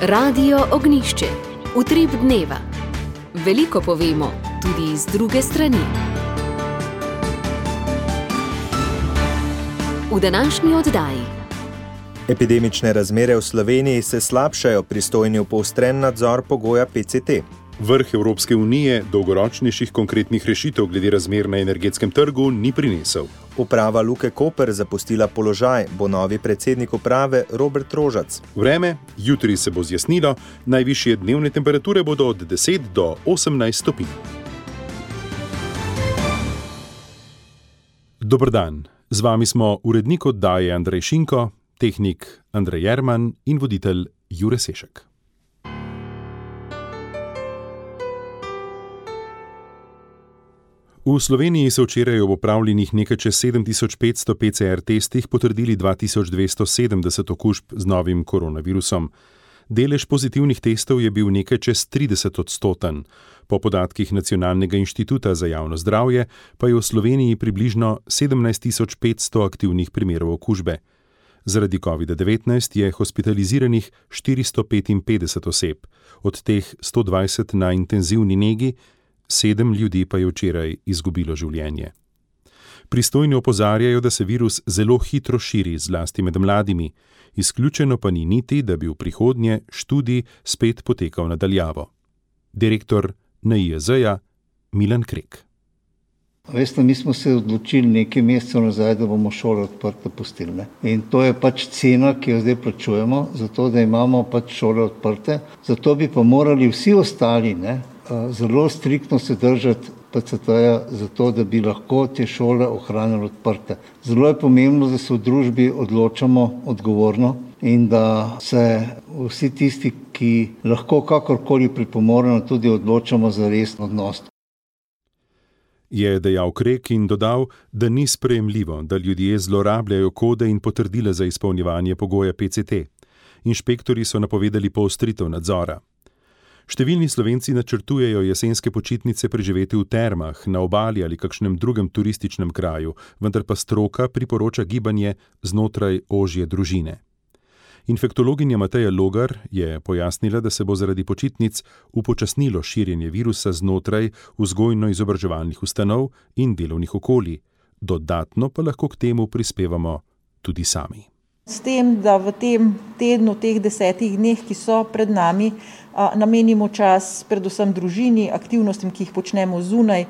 Radio Ognjišče. Utrip dneva. Veliko povemo, tudi iz druge strani. V današnji oddaji. Epidemične razmere v Sloveniji se slabšajo, pristojni v poostren nadzor pogoja PCT. Vrh Evropske unije dolgoročnejših konkretnih rešitev glede razmer na energetskem trgu ni prinesel. Uprava Luke Koper zapustila položaj, bo novi predsednik uprave Robert Rožac. Vreme, jutri se bo zjasnilo, najvišje dnevne temperature bodo od 10 do 18 stopinj. Dober dan, z vami smo urednik oddaje Andrej Šinko, tehnik Andrej Jerman in voditelj Jure Sešek. V Sloveniji so včeraj ob opravljenih nekaj čez 7500 PCR testih potrdili 2270 okužb z novim koronavirusom. Delež pozitivnih testov je bil nekaj čez 30%. Po podatkih Nacionalnega inštituta za javno zdravje pa je v Sloveniji približno 17500 aktivnih primerov okužbe. Zaradi COVID-19 je hospitaliziranih 455 oseb, od teh 120 na intenzivni negi, 7 ljudi pa je včeraj izgubilo življenje. Pristojni opozarjajo, da se virus zelo hitro širi, zlasti med mladimi. Izključeno pa ni niti, da bi v prihodnje študij spet potekal na daljavo. Direktor NIJZ-ja Milan Krek. Veste, mi smo se odločili nekaj mesecev nazaj, da bomo šole odprte pustili. In to je pač cena, ki jo zdaj plačujemo, zato da imamo pač šole odprte. Zato bi pa morali vsi ostali zelo striktno se držati PCT-ja, zato da bi lahko te šole ohranili odprte. Zelo je pomembno, da se v družbi odločamo odgovorno in da se vsi tisti, ki lahko kakorkoli pripomoremo, tudi odločamo za resen odnos. Je dejal Krek in dodal, da ni sprejemljivo, da ljudje zlorabljajo kode in potrdila za izpolnjevanje pogoja PCT. Inšpektorji so napovedali poostritev nadzora. Številni Slovenci načrtujejo jesenske počitnice preživeti v termah, na obali ali kakšnem drugem turističnem kraju, vendar pa stroka priporoča gibanje znotraj ožje družine. Infektologinja Mateja Logar je pojasnila, da se bo zaradi počitnic upočasnilo širjenje virusa znotraj vzgojno-izobraževalnih ustanov in delovnih okolij. Dodatno pa lahko k temu prispevamo tudi sami. S tem, da v tem tednu, teh 10 dneh, ki so pred nami, namenimo čas predvsem družini, aktivnostim, ki jih počnemo zunaj,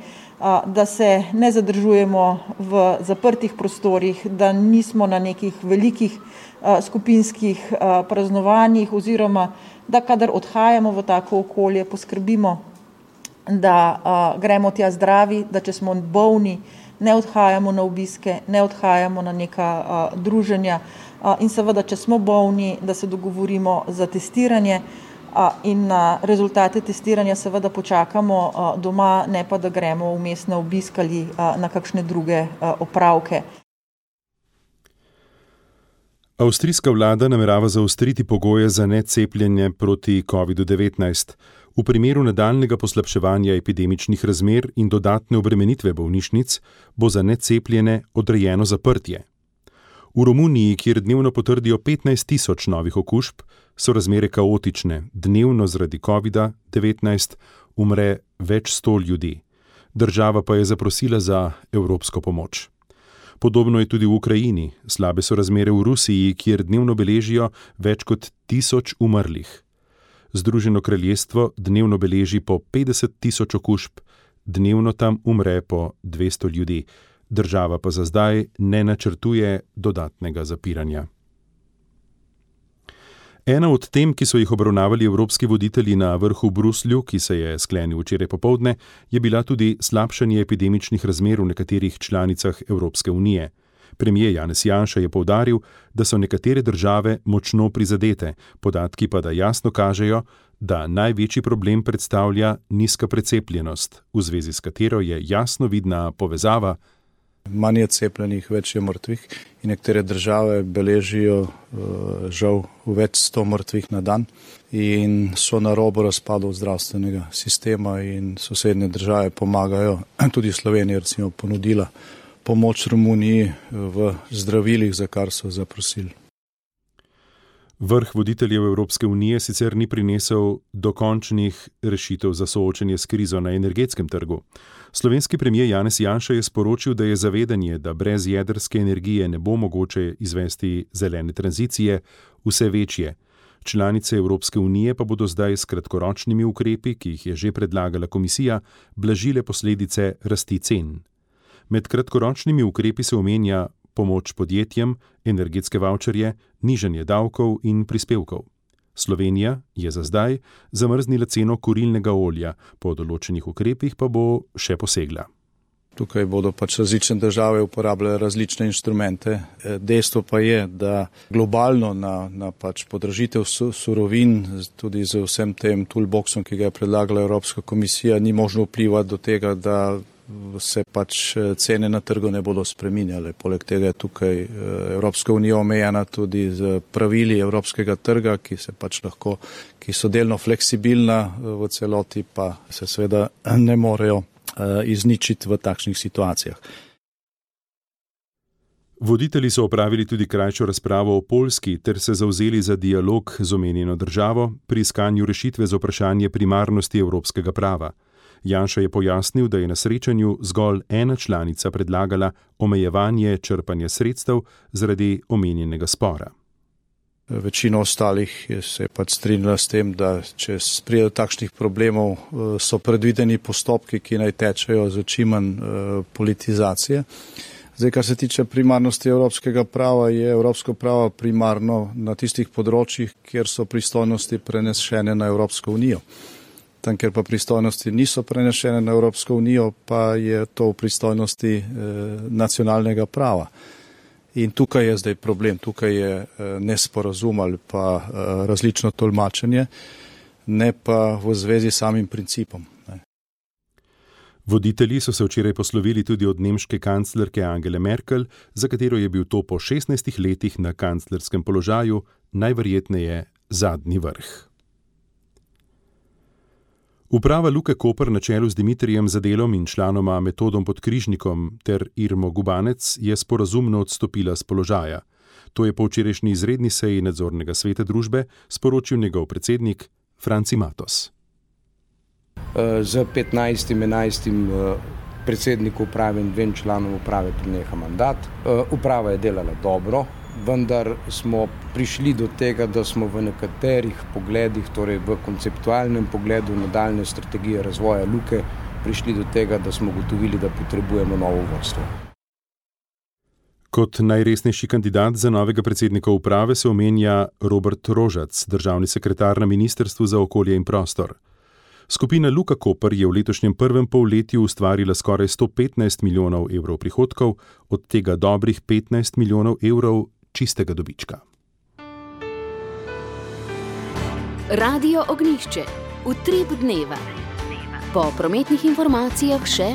da se ne zadržujemo v zaprtih prostorih, da nismo na nekih velikih skupinskih praznovanjih oziroma da kadar odhajamo v tako okolje, poskrbimo, da gremo tja zdravi, da če smo bolni, ne odhajamo na obiske, ne odhajamo na neka druženja in seveda, če smo bolni, da se dogovorimo za testiranje in na rezultate testiranja seveda počakamo doma, ne pa da gremo vmes na obisk ali na kakšne druge opravke. Avstrijska vlada namerava zaostriti pogoje za necepljenje proti COVID-19. V primeru nadaljnjega poslabševanja epidemičnih razmer in dodatne obremenitve bolnišnic bo za necepljene odrejeno zaprtje. V Romuniji, kjer dnevno potrdijo 15.000 novih okužb, so razmere kaotične. Dnevno zaradi COVID-19 umre več 100 ljudi. Država pa je zaprosila za evropsko pomoč. Podobno je tudi v Ukrajini. Slabe so razmere v Rusiji, kjer dnevno beležijo več kot 1000 umrlih. Združeno kraljestvo dnevno beleži po 50.000 okužb, dnevno tam umre po 200 ljudi. Država pa za zdaj ne načrtuje dodatnega zapiranja. Ena od tem, ki so jih obravnavali evropski voditelji na vrhu v Bruslju, ki se je sklenil včeraj popoldne, je bila tudi slabšanje epidemičnih razmer v nekaterih članicah Evropske unije. Premier Janez Janša je poudaril, da so nekatere države močno prizadete, podatki pa da jasno kažejo, da največji problem predstavlja nizka precepljenost, v zvezi s katero je jasno vidna povezava. Manj je cepljenih, več je mrtvih in nekatere države beležijo žal več 100 mrtvih na dan in so na robu razpadov zdravstvenega sistema in sosednje države pomagajo. Tudi Slovenija recimo ponudila pomoč Romuniji v zdravilih, za kar so zaprosili. Vrh voditeljev Evropske unije sicer ni prinesel dokončnih rešitev za soočenje s krizo na energetskem trgu. Slovenski premier Janez Janša je sporočil, da je zavedanje, da brez jedrske energije ne bo mogoče izvesti zelene tranzicije, vse večje. Članice Evropske unije pa bodo zdaj s kratkoročnimi ukrepi, ki jih je že predlagala komisija, blažile posledice rasti cen. Med kratkoročnimi ukrepi se omenja pomoč podjetjem, energetske vavčerje, nižanje davkov in prispevkov. Slovenija je za zdaj zamrznila ceno kurilnega olja, po določenih ukrepih pa bo še posegla. Tukaj bodo različne države uporabljale različne inštrumente. Dejstvo pa je, da globalno na podražitev surovin, tudi z vsem tem toolboxom, ki ga je predlagala Evropska komisija, ni možno vplivati do tega, da se cene na trgu ne bodo spreminjale. Poleg tega je tukaj Evropska unija omejena tudi z pravili evropskega trga, ki so delno fleksibilna, v celoti pa se seveda ne morejo izničiti v takšnih situacijah. Voditelji so opravili tudi krajšo razpravo o Poljski ter se zavzeli za dialog z omenjeno državo pri iskanju rešitve za vprašanje primarnosti evropskega prava. Janša je pojasnil, da je na srečanju zgolj ena članica predlagala omejevanje črpanja sredstev zaradi omenjenega spora. Večina ostalih se je strinjala s tem, da če pride do takšnih problemov, so predvideni postopki, ki naj tečejo z čim manj politizacije. Zdaj, kar se tiče primarnosti evropskega prava, je evropsko pravo primarno na tistih področjih, kjer so pristojnosti prenešene na Evropsko unijo. Tam, kjer pa pristojnosti niso prenešene na Evropsko unijo, pa je to v pristojnosti nacionalnega prava. In tukaj je zdaj problem, tukaj je nesporazum ali pa različno tolmačenje, ne pa v zvezi s samim principom. Voditelji so se včeraj poslovili tudi od nemške kanclerke Angele Merkel, za katero je bil to po 16 letih na kanclerskem položaju najverjetneje zadnji vrh. Uprava Luke Koper na čelu z Dimitrijem Zadelom in članoma Metodom Podkrižnikom ter Irmo Gubanec je sporazumno odstopila z položaja. To je po včerajšnji izredni seji nadzornega sveta družbe sporočil njegov predsednik Franci Matos. Z 15.11. predsedniku uprave in 2 članom uprave preneha mandat. Uprava je delala dobro, vendar smo prišli do tega, da smo v nekaterih pogledih, torej v konceptualnem pogledu nadaljne strategije razvoja Luke, prišli do tega, da smo ugotovili, da potrebujemo novo vodstvo. Kot najresnejši kandidat za novega predsednika uprave se omenja Robert Rožac, državni sekretar na Ministrstvu za okolje in prostor. Skupina Luka Koper je v letošnjem prvem polletju ustvarila skoraj 115 milijonov evrov prihodkov, od tega dobrih 15 milijonov evrov čistega dobička. Radio Ognjišče, utrip dneva. Po prometnih informacijah še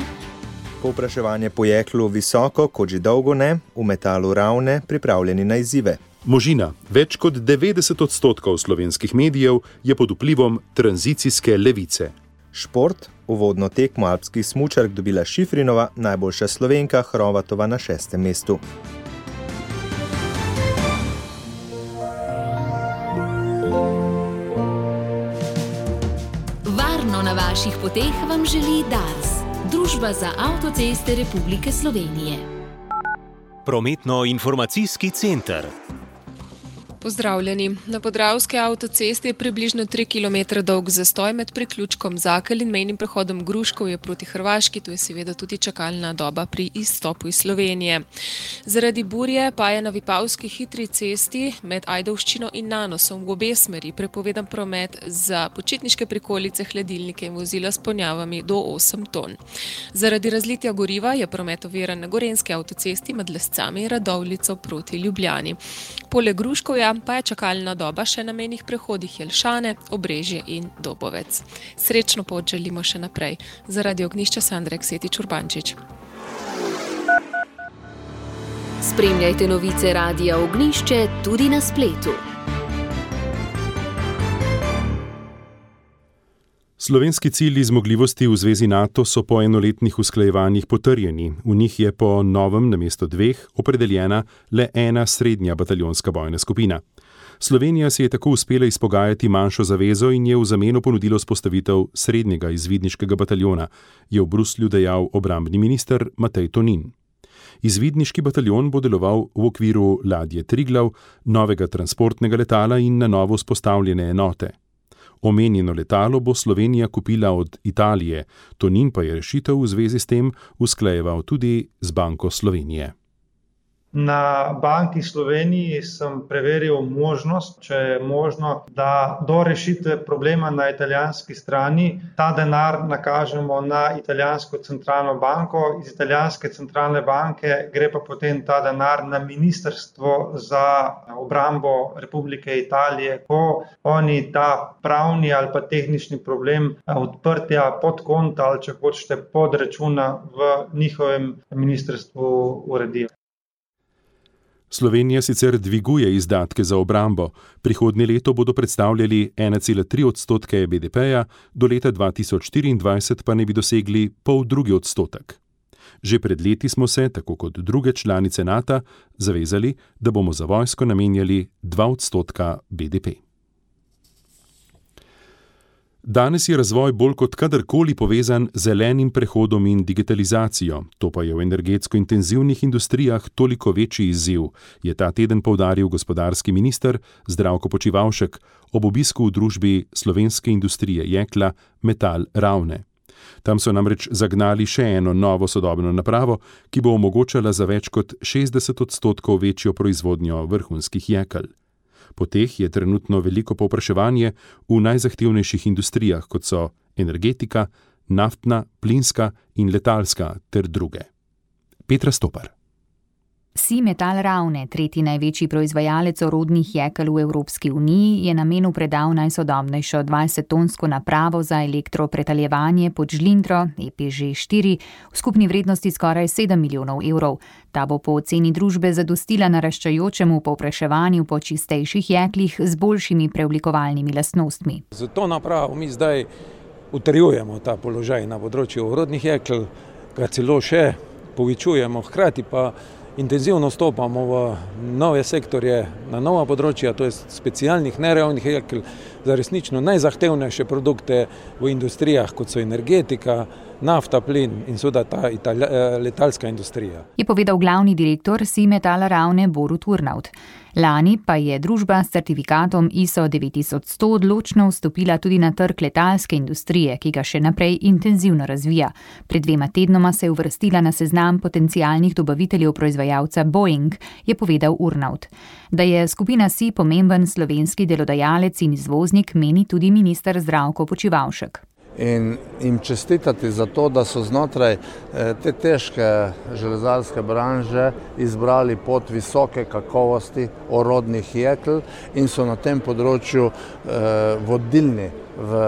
povpraševanje po jeklu visoko, kot že dolgo ne, v Metalu Ravne pripravljeni na izzive. Možina, več kot 90% slovenskih medijev je pod vplivom tranzicijske levice. Šport, uvodno tekmo alpskih smučark dobila Šifrinova, najboljša Slovenka Hrovatova na 6. mestu. Varno na vaših poteh vam želi Dars, Družba za avtoceste Republike Slovenije. Prometno-informacijski center. Pozdravljeni. Na Podravski avtocesti je približno 3 km dolg zastoj med priključkom Zakelj in mejnim prehodom Gruškovje proti Hrvaški, tu je seveda tudi čakalna doba pri izstopu iz Slovenije. Zaradi burje pa je na Vipavski hitri cesti med Ajdovščino in Nanosom v obe smeri prepovedan promet za počitniške prikolice, hladilnike in vozila s ponjavami do 8 ton. Zaradi razlitja goriva je promet oviran na Gorenjski avtocesti med Lescami in Radovljico proti Ljubljani. Poleg Gruškovja pa je čakalna doba še na mejnih prehodih Jelšane, Obrežje in Dobovec. Srečno pot želimo še naprej. Zaradi Ognjišča Sandra Ksetič Urbančič. Spremljajte novice Radia Ognjišče tudi na spletu. Slovenski cilji zmogljivosti v zvezi NATO so po enoletnih usklajevanjih potrjeni. V njih je po novem namesto 2 opredeljena le 1 srednja bataljonska bojna skupina. Slovenija si je tako uspela izpogajati manjšo zavezo in je v zameno ponudilo vzpostavitev srednjega izvidniškega bataljona, je v Bruslju dejal obrambni minister Matej Tonin. Izvidniški bataljon bo deloval v okviru ladje Triglav, novega transportnega letala in na novo vzpostavljene enote. Omenjeno letalo bo Slovenija kupila od Italije, Tonin pa je rešitev v zvezi s tem usklajeval tudi z Banko Slovenije. Na Banki Sloveniji sem preveril možnost, če je možno, da do rešitve problema na italijanski strani ta denar nakažemo na italijansko centralno banko. Iz italijanske centralne banke gre pa potem ta denar na Ministrstvo za obrambo Republike Italije, ko oni ta pravni ali pa tehnični problem odprtja podkonta ali če hočete podračuna v njihovem ministrstvu uredijo. Slovenija sicer dviguje izdatke za obrambo. Prihodnje leto bodo predstavljali 1,3% BDP-ja, do leta 2024 pa ne bi dosegli 0,5%. Že pred leti smo se, tako kot druge članice NATO, zavezali, da bomo za vojsko namenjali 2% BDP. Danes je razvoj bolj kot kadarkoli povezan z zelenim prehodom in digitalizacijo. To pa je v energetsko intenzivnih industrijah toliko večji izziv, je ta teden poudaril gospodarski minister Zdravko Počivalšek ob obisku v družbi slovenske industrije jekla Metal Ravne. Tam so namreč zagnali še eno novo sodobno napravo, ki bo omogočala za več kot 60% večjo proizvodnjo vrhunskih jekel. Po teh je trenutno veliko povpraševanje v najzahtevnejših industrijah, kot so energetika, naftna, plinska in letalska ter druge. Petra Stopar. Metal Ravne, tretji največji proizvajalec orodnih jekel v Evropski uniji, je namenu predal najsodobnejšo 20-tonsko napravo za elektropretaljevanje pod žlindro EPŽ4 v skupni vrednosti skoraj 7 milijonov evrov. Ta bo po oceni družbe zadostila naraščajočemu povpraševanju po čistejših jeklih z boljšimi preoblikovalnimi lastnostmi. Z to napravo mi zdaj utrjujemo ta položaj na področju orodnih jekel, ga celo še povečujemo, hkrati pa intenzivno stopamo v nove sektorje, na nova področja, to je specialnih nerealnih jekel, za resnično najzahtevnejše produkte v industrijah, kot so energetika, nafta, plin in seveda ta letalska industrija. Je povedal glavni direktor Metal Ravne Borut Urnaut. Lani pa je družba s certifikatom ISO 9100 odločno vstopila tudi na trg letalske industrije, ki ga še naprej intenzivno razvija. Pred 2 tednoma se je uvrstila na seznam potencialnih dobaviteljev proizvajalca Boeing, je povedal Urnaut. Da je skupina SI pomemben slovenski delodajalec in izvoznik, meni tudi minister Zdravko Počivalšek. In jim čestitati za to, da so znotraj te težke železarske branže izbrali pot visoke kakovosti orodnih jekel in so na tem področju vodilni v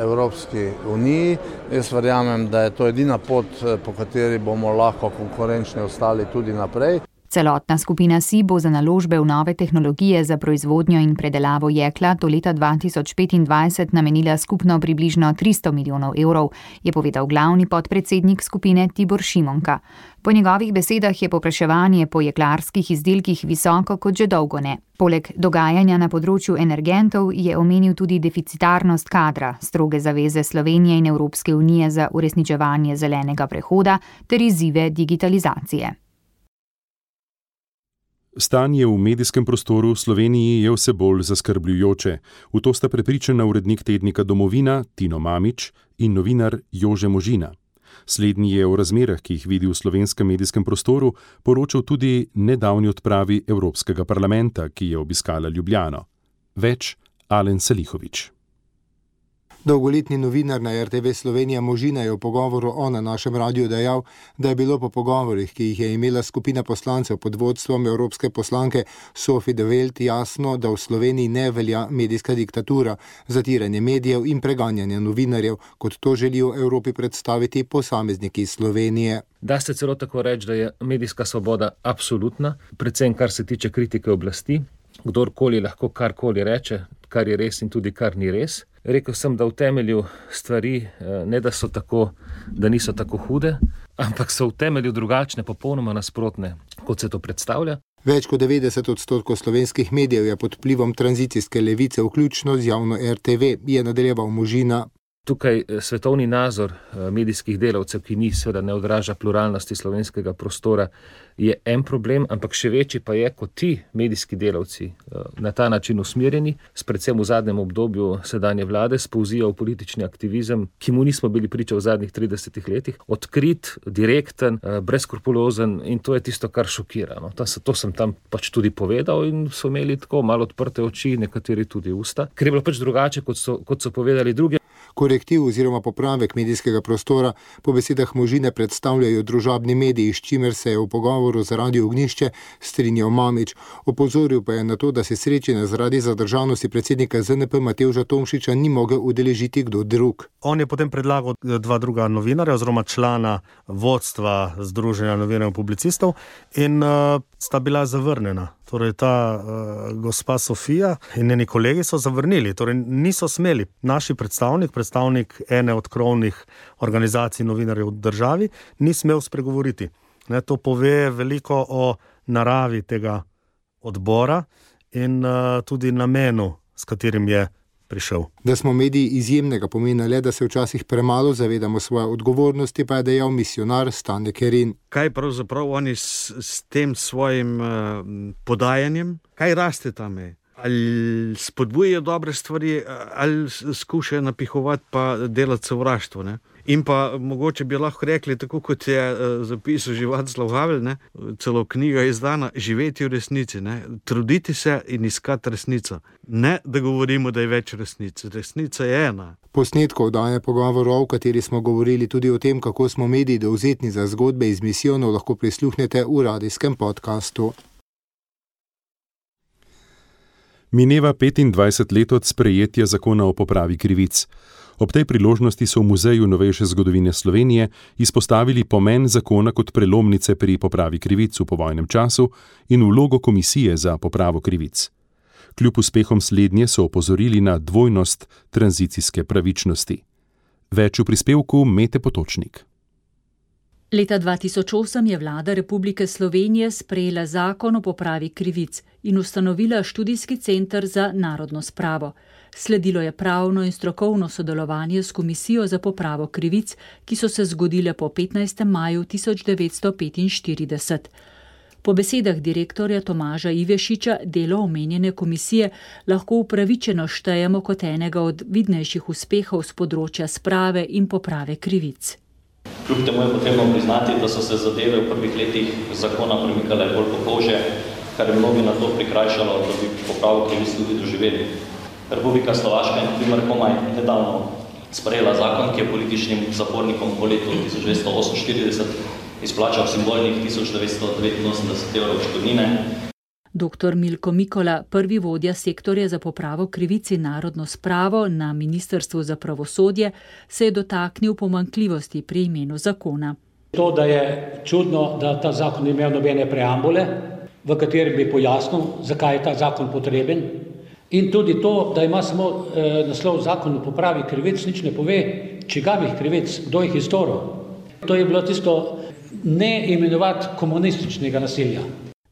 Evropski uniji. Jaz verjamem, da je to edina pot, po kateri bomo lahko konkurenčni ostali tudi naprej. Celotna skupina SI bo za naložbe v nove tehnologije za proizvodnjo in predelavo jekla do leta 2025 namenila skupno približno 300 milijonov evrov, je povedal glavni podpredsednik skupine Tibor Šimonka. Po njegovih besedah je povpraševanje po jeklarskih izdelkih visoko kot že dolgo ne. Poleg dogajanja na področju energentov je omenil tudi deficitarnost kadra, stroge zaveze Slovenije in Evropske unije za uresničevanje zelenega prehoda ter izzive digitalizacije. Stanje v medijskem prostoru v Sloveniji je vse bolj zaskrbljujoče. V to sta prepričana urednik tednika Domovina Tino Mamić in novinar Jože Možina. Slednji je o razmerah, ki jih vidi v slovenskem medijskem prostoru, poročal tudi nedavni odpravi Evropskega parlamenta, ki je obiskala Ljubljano. Več Alen Salihović. Dolgoletni novinar na RTV Slovenija Možina je v pogovoru na našem radiju dejal, da je bilo po pogovorih, ki jih je imela skupina poslancev pod vodstvom evropske poslanke Sophie de Welt, jasno, da v Sloveniji ne velja medijska diktatura, zatiranje medijev in preganjanje novinarjev, kot to želijo Evropi predstaviti posamezniki iz Slovenije. Da se celo tako reči, da je medijska svoboda absolutna, predvsem kar se tiče kritike oblasti, kdorkoli lahko karkoli reče, kar je res in tudi kar ni res. Rekel sem, da v temelju stvari ne da niso tako hude, ampak so v temelju drugačne, popolnoma nasprotne, kot se to predstavlja. Več kot 90% slovenskih medijev je pod vplivom tranzicijske levice, vključno z javno RTV, je nadaljeval Možina. Tukaj svetovni nazor medijskih delavcev, ki seveda ne odraža pluralnosti slovenskega prostora, je en problem, ampak še večji pa je, kot ti medijski delavci na ta način usmerjeni, predvsem v zadnjem obdobju sedanje vlade, spolzijo v politični aktivizem, ki mu nismo bili priča v zadnjih 30 letih, odkrit, direkten, brezskrupulozen, in to je tisto, kar šokira. No. To sem tam pač tudi povedal in so imeli tako malo odprte oči, nekateri tudi usta, ker je bilo pač drugače, kot so povedali drugi. Korektiv oziroma popravek medijskega prostora po besedah Možine predstavljajo družabni mediji, s čimer se je v pogovoru z Radio Ognjišče strinjal Mamić. Opozoril pa je na to, da se srečanja zaradi zadržanosti predsednika ZNP Matevža Tomšiča ni mogel udeležiti kdo drug. On je potem predlagal 2 druga novinarja oziroma člana vodstva Združenja novinarjev in publicistov in sta bila zavrnjena. Torej ta gospa Sofija in njeni kolegi so zavrnili, torej niso smeli. Naši predstavnik ene od krovnih organizacij novinarjev v državi, ni smel spregovoriti. To pove veliko o naravi tega odbora in tudi namenu, s katerim je prišel. Da smo mediji izjemnega pomena le, da se včasih premalo zavedamo svoje odgovornosti, pa je dejal misionar Stane Kerin. Kaj pravzaprav oni s tem svojim podajanjem, kaj raste tam? Ali spodbujajo dobre stvari, ali skušajo napihovati pa delati sovraštvo, ne? In pa mogoče bi lahko rekli, tako kot je zapisal že Václav Havel, ne? Celo knjiga je izdana, živeti v resnici, ne? Truditi se in iskati resnico. Ne, da govorimo, da je več resnic. Resnica je ena. Posnetkov oddaje pogovorov, v kateri smo govorili tudi o tem, kako smo mediji dovzetni za zgodbe iz misijonov, lahko prisluhnete v radijskem podkastu. Mineva 25 let od sprejetja zakona o popravi krivic. Ob tej priložnosti so v Muzeju novejše zgodovine Slovenije izpostavili pomen zakona kot prelomnice pri popravi krivic v povojnem času in vlogo komisije za popravo krivic. Kljub uspehom slednje so opozorili na dvojnost tranzicijske pravičnosti. Več v prispevku Mete Potočnik. Leta 2008 je vlada Republike Slovenije sprejela zakon o popravi krivic in ustanovila študijski center za narodno spravo. Sledilo je pravno in strokovno sodelovanje s Komisijo za popravo krivic, ki so se zgodile po 15. maju 1945. Po besedah direktorja Tomaža Ivešiča delo omenjene komisije lahko upravičeno štejemo kot enega od vidnejših uspehov z področja sprave in poprave krivic. Kljub temu je potrebno priznati, da so se zadeve v prvih letih zakona premikale bolj po kože, kar je mnogi na to prikrajšalo, da bi popravo krivic tudi doživeli. Republika Slovaška je na primer komaj nedavno sprejela zakon, ki je političnim zapornikom po letu 1948 izplačal simbolnih 1989 evrov odškodnine. Dr. Milko Mikola, prvi vodja sektorja za popravo krivic in narodno spravo na Ministrstvu za pravosodje, se je dotaknil pomanjkljivosti pri imenu zakona. To, da je čudno, da ta zakon ni imel nobene preambule, v kateri bi pojasnil, zakaj je ta zakon potreben. In tudi to, da ima samo naslov zakon o popravi krivic, nič ne pove, čigavih krivic, kdo jih je storil. To je bilo tisto ne imenovati komunističnega nasilja.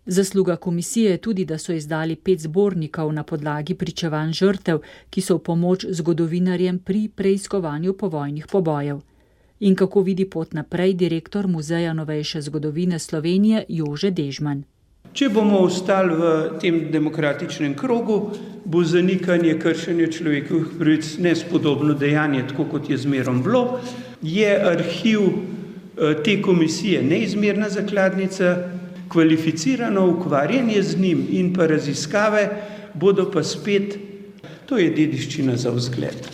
Zasluga komisije je tudi, da so izdali 5 zbornikov na podlagi pričevanj žrtev, ki so v pomoč zgodovinarjem pri preiskovanju povojnih pobojev. In kako vidi pot naprej direktor Muzeja novejše zgodovine Slovenije Jože Dežman. Če bomo ostali v tem demokratičnem krogu, bo zanikanje kršenja človekovih pravic nespodobno dejanje, tako kot je zmerom bilo. Je arhiv te komisije neizmerna zakladnica, kvalificirano ukvarjanje z njim in pa raziskave bodo pa spet, to je dediščina za vzgled.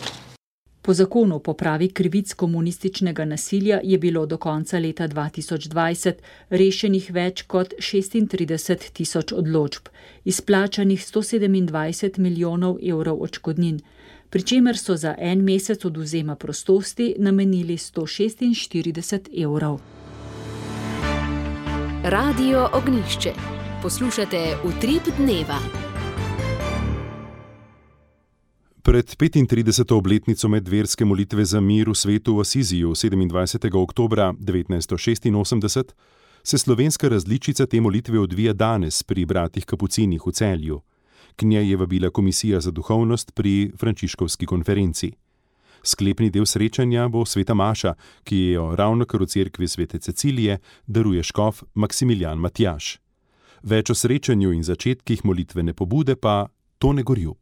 Po zakonu o popravi krivic komunističnega nasilja je bilo do konca leta 2020 rešenih več kot 36 tisoč odločb, izplačanih 127 milijonov evrov odškodnin, pri čemer so za en mesec odvzema prostosti namenili 146 evrov. Radio Ognjišče. Poslušate Utrip dneva. Pred 35. obletnico medverske molitve za mir v svetu v Asiziju 27. oktobra 1986 se slovenska različica te molitve odvija danes pri bratih Kapucinih v Celju. K njej je vabila Komisija za duhovnost pri Frančiškovski konferenci. Sklepni del srečanja bo sveta maša, ki jo ravnokar v cerkvi svete Cecilije daruje škof Maksimilijan Matjaž. Več o srečanju in začetkih molitvene pobude pa Tone Gorjub.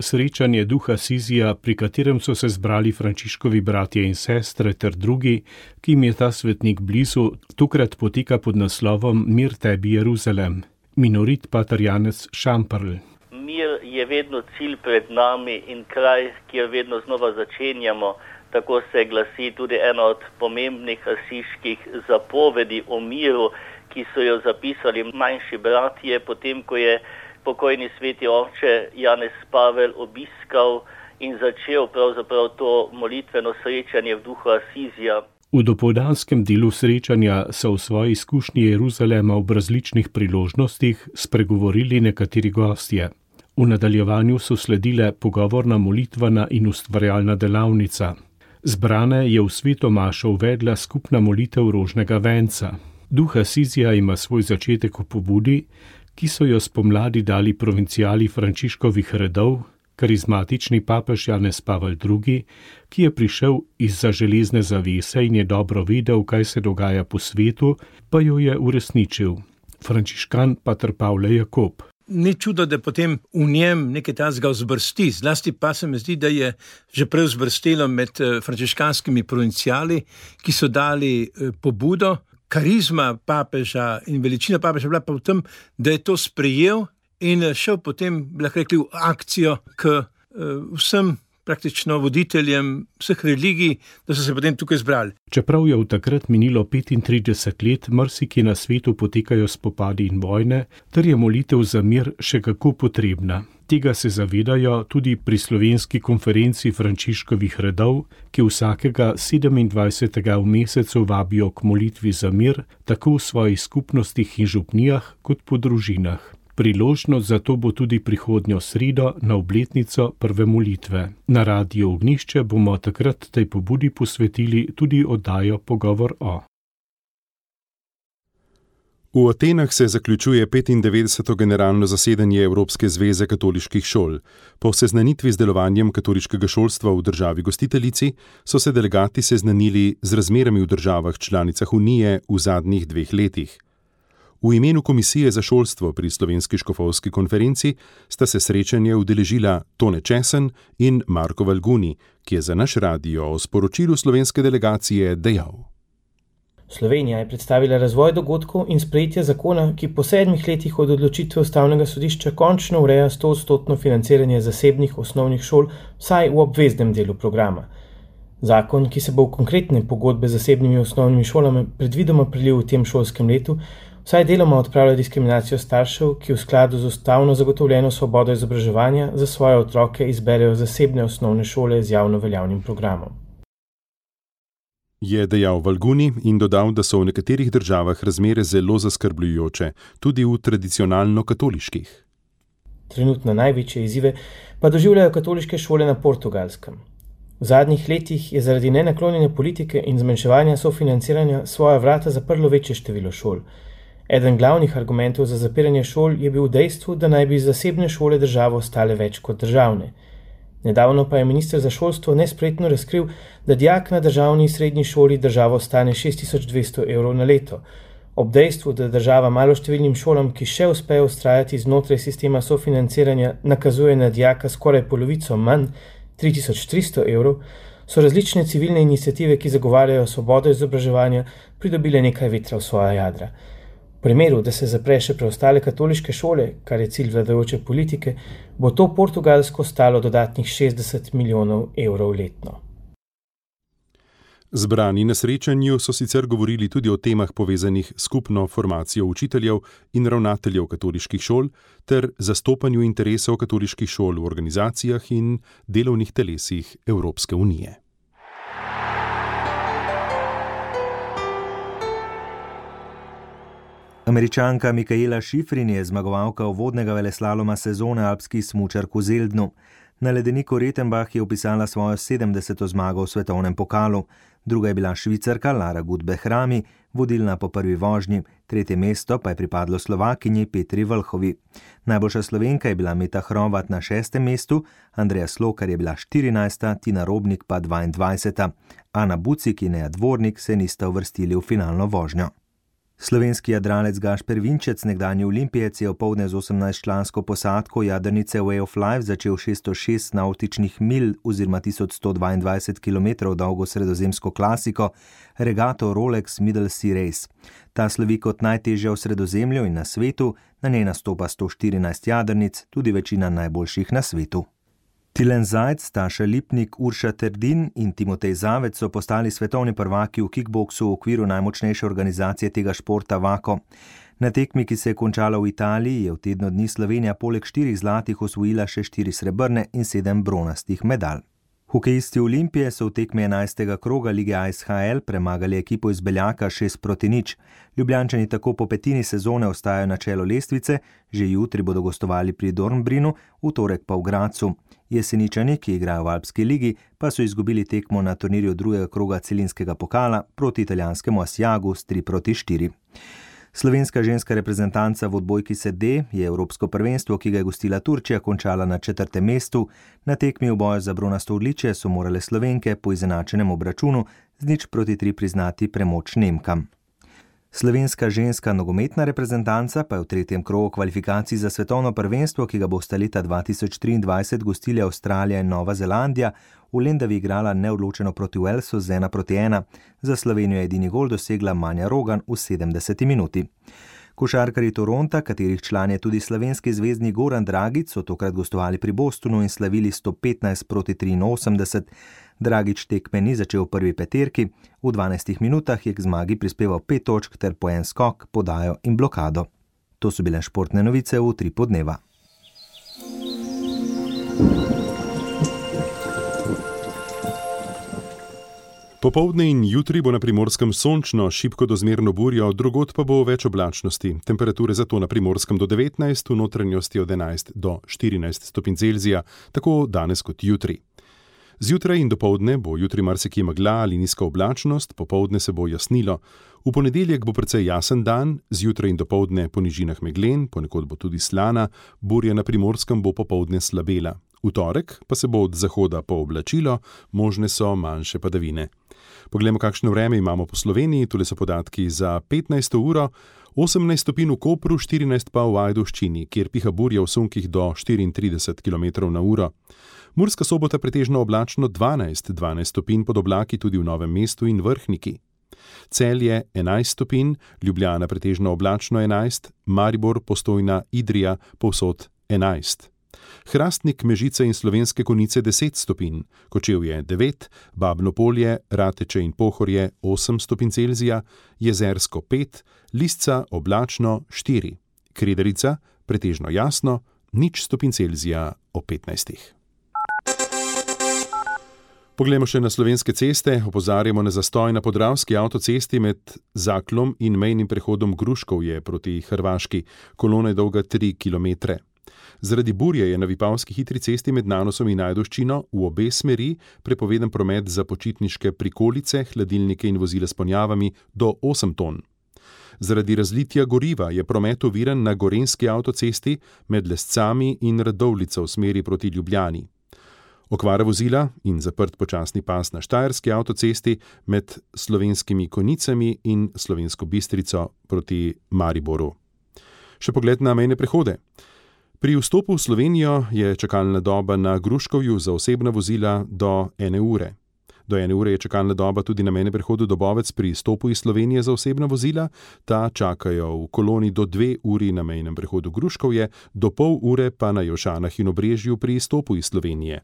Srečanje duha Asizija, pri katerem so se zbrali Frančiškovi bratje in sestre ter drugi, ki jim je ta svetnik blizu, tokrat poteka pod naslovom Mir tebi Jeruzalem. Minorit pater Janez Šamperl. Mir je vedno cilj pred nami in kraj, kjer vedno znova začenjamo. Tako se glasi tudi ena od pomembnih asiških zapovedi o miru, ki so jo zapisali manjši bratje, potem ko je pokojni sveti oče Janez Pavel obiskal in začel pravzaprav to molitveno srečanje v duhu Asizija. V dopoldanskem delu srečanja so v svoji izkušnji Jeruzalema ob različnih priložnostih spregovorili nekateri gostje. V nadaljevanju so sledile pogovorna molitvena in ustvarjalna delavnica. Zbrane je v sveto mašo uvedla skupna molitev rožnega venca. Duh Asizija ima svoj začetek v pobudi, ki so jo spomladi dali provincijali Frančiškovih redov, karizmatični papež Janez Pavel II., ki je prišel izza železne zavese in je dobro vedel, kaj se dogaja po svetu, pa jo je uresničil. Frančiškan pater Pavle Jakob. Ni čudo, da potem v njem nekaj tazga vzbrsti, zlasti pa se mi zdi, da je že prej vzbrstelo med frančiškanskimi provincijali, ki so dali pobudo. Karizma papeža in veličina papeža bila pa v tem, da je to sprejel in šel potem, lahko rekli, v akcijo k vsem praktično voditeljem vseh religij, da so se potem tukaj zbrali. Čeprav je v takrat minilo 35 let, marsikje na svetu potekajo spopadi in vojne, ter je molitev za mir še kako potrebna. Tega se zavedajo tudi pri slovenski konferenci Frančiškovih redov, ki vsakega 27. v mesecu vabijo k molitvi za mir, tako v svojih skupnostih in župnijah kot po družinah. Priložnost za to bo tudi prihodnjo sredo na obletnico prve molitve. Na Radiu Ognjišče bomo takrat tej pobudi posvetili tudi oddajo Pogovor o. V Atenah se zaključuje 95. generalno zasedanje Evropske zveze katoliških šol. Po seznanitvi z delovanjem katoliškega šolstva v državi gostiteljici so se delegati seznanili z razmerami v državah članicah Unije v zadnjih 2 letih. V imenu Komisije za šolstvo pri Slovenski škofovski konferenci sta se srečanje udeležila Tone Česen in Marko Valguni, ki je za naš radio o sporočilu slovenske delegacije dejal. Slovenija je predstavila razvoj dogodkov in sprejetje zakona, ki po 7 letih od odločitve Ustavnega sodišča končno ureja 100% financiranje zasebnih osnovnih šol, vsaj v obveznem delu programa. Zakon, ki se bo v konkretne pogodbe z zasebnimi osnovnimi šolami predvidoma prelil v tem šolskem letu, vsaj deloma odpravlja diskriminacijo staršev, ki v skladu z ustavno zagotovljeno svobodo izobraževanja za svoje otroke izberejo zasebne osnovne šole z javno veljavnim programom. Je dejal Valguni in dodal, da so v nekaterih državah razmere zelo zaskrbljujoče, tudi v tradicionalno katoliških. Trenutno največje izzive pa doživljajo katoliške šole na Portugalskem. V zadnjih letih je zaradi nenaklonjene politike in zmanjševanja sofinanciranja svoja vrata zaprlo večje število šol. Eden glavnih argumentov za zapiranje šol je bil v dejstvu, da naj bi zasebne šole državo stale več kot državne. Nedavno pa je minister za šolstvo nespretno razkril, da dijak na državni srednji šoli državo stane 6200 evrov na leto. Ob dejstvu, da država maloštevilnim šolam, ki še uspejo vztrajati znotraj sistema sofinanciranja, nakazuje na dijaka skoraj polovico manj, 3300 evrov, so različne civilne iniciative, ki zagovarjajo svobodo izobraževanja, pridobile nekaj vetra v svoja jadra. V primeru, da se zapre še preostale katoliške šole, kar je cilj vladajoče politike, bo to Portugalsko stalo dodatnih 60 milijonov evrov letno. Zbrani na srečanju so sicer govorili tudi o temah povezanih s skupno formacijo učiteljev in ravnateljev katoliških šol ter zastopanju interesov katoliških šol v organizacijah in delovnih telesih Evropske unije. Američanka Mikaela Šifrin je zmagovalka uvodnega veleslaloma sezone alpski smučark v Zeldnu. Na ledeniku Rettenbach je upisala svojo 70. zmago v svetovnem pokalu. Druga je bila Švicarka Lara Gut-Behrami, vodilna po prvi vožnji, tretje mesto pa je pripadlo Slovakinji Petri Vlhovi. Najboljša Slovenka je bila Meta Hrovat na 6. mestu, Andreja Slokar je bila 14., Tina Robnik pa 22. Ana Bucik in Neja Dvornik se nista uvrstili v finalno vožnjo. Slovenski jadralec Gašper Vinčec, nekdanji olimpijec, je opoldne z 18-člansko posadko jadrnice Way of Life začel 606 nautičnih milj oziroma 1122 km dolgo sredozemsko klasiko regato Rolex Middle Sea Race. Ta slovi kot najtežja v Sredozemlju in na svetu, na njej nastopa 114 jadrnic, tudi večina najboljših na svetu. Tilen Zajc, Taša Lipnik, Urša Terdin in Timotej Zavec so postali svetovni prvaki v kickboksu v okviru najmočnejše organizacije tega športa Vako. Na tekmi, ki se je končala v Italiji, je v tednu dni Slovenija poleg 4 zlatih osvojila še 4 srebrne in 7 bronastih medalj. Hokejisti Olimpije so v tekmi 11. kroga lige ASHL premagali ekipo iz Beljaka 6-0. Ljubljančani tako po petini sezone ostajajo na čelu lestvice, že jutri bodo gostovali pri Dornbrinu, v torek pa v Gracu. Jeseničani, ki igrajo v Alpski ligi, pa so izgubili tekmo na turnirju drugega kroga celinskega pokala proti italijanskemu Asiagu s 3-4. Slovenska ženska reprezentanca v odbojki sede je evropsko prvenstvo, ki ga je gostila Turčija, končala na 4. mestu. Na tekmi v boju za bronasto odličje so morale Slovenke po izenačenem obračunu z 0-3 priznati premoč Nemkam. Slovenska ženska nogometna reprezentanca pa je v 3. krogu kvalifikacij za svetovno prvenstvo, ki ga bosta leta 2023 gostili Avstralija in Nova Zelandija, v Lendavi igrala neodločeno proti Walesu z 1-1. Za Slovenijo je edini gol dosegla Manja Rogan v 70. minuti. Košarkarji Toronta, katerih član je tudi slovenski zvezdnik Goran Dragić, so tokrat gostovali pri Bostonu in slavili 115-83. Dragić tekme ni začel v prvi peterki, v 12 minutah je k zmagi prispeval 5 točk ter po en skok, podajo in blokado. To so bile športne novice v Utripu dneva. Popoldne in jutri bo na Primorskem sončno, šibko do zmerno burjo, drugod pa bo več oblačnosti. Temperature zato na Primorskem do 19, v notranjosti od 11 do 14 stopinj Celzija, tako danes kot jutri. Zjutraj in dopoldne bo jutri marsikje megla ali nizka oblačnost, popoldne se bo jasnilo. V ponedeljek bo precej jasen dan, zjutraj in dopoldne po nižinah meglen, ponekod bo tudi slana, burja na Primorskem bo popoldne slabela. V torek pa se bo od zahoda pooblačilo, možne so manjše padavine. Poglejmo, kakšno vreme imamo po Sloveniji, tule so podatki za 15. uro, 18 stopinj v Kopru, 14 pa v Ajdovščini, kjer piha burja v sunkih do 34 km/h. Murska Sobota pretežno oblačno 12 stopinj pod oblaki tudi v Novem mestu in Vrhniki. Celje 11 stopinj, Ljubljana pretežno oblačno 11, Maribor, Postojna, Idrija povsod 11. Hrastnik, Mežice in Slovenske Konjice 10 stopinj, Kočevje 9, Babno Polje, Rateče in Pohorje 8 stopinj Celzija, Jezersko 5, Lisca oblačno 4, Kredarica pretežno jasno 0 stopinj Celzija ob 15. Poglejmo še na slovenske ceste, opozarjamo na zastoj na Podravski avtocesti med Zaklom in mejnim prehodom Gruškovje proti Hrvaški, kolona je dolga 3 km. Zaradi burje je na Vipavski hitri cesti med Nanosom in Ajdovščino v obe smeri prepovedan promet za počitniške prikolice, hladilnike in vozila s ponjavami do 8 ton. Zaradi razlitja goriva je promet oviran na Gorenjski avtocesti med Lescami in Radovljico v smeri proti Ljubljani. Okvara vozila in zaprt počasni pas na Štajerski avtocesti med Slovenskimi Konjicami in Slovensko Bistrico proti Mariboru. Še pogled na mejne prehode. Pri vstopu v Slovenijo je čakalna doba na Gruškovju za osebna vozila do 1 ure. Do 1 ure je čakalna doba tudi na mejnem prehodu Dobovec pri izstopu iz Slovenije za osebna vozila. Ta čakajo v koloni do 2 uri na mejnem prehodu Gruškovje, do pol ure pa na Jošanah in Obrežju pri izstopu iz Slovenije.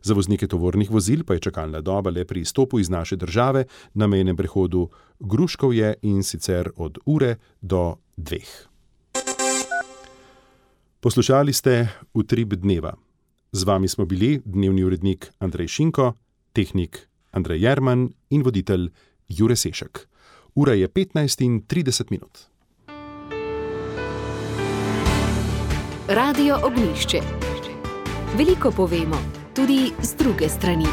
Za voznike tovornih vozil pa je čakalna doba le pri izstopu iz naše države na mejnem prehodu Gruškovje in sicer od ure do 2. Poslušali ste Utrip dneva. Z vami smo bili dnevni urednik Andrej Šinko, tehnik Andrej Jerman in voditelj Jure Sešek. Ura je 15:30. Radio Ognjišče. Veliko povemo. tudi z druge strani.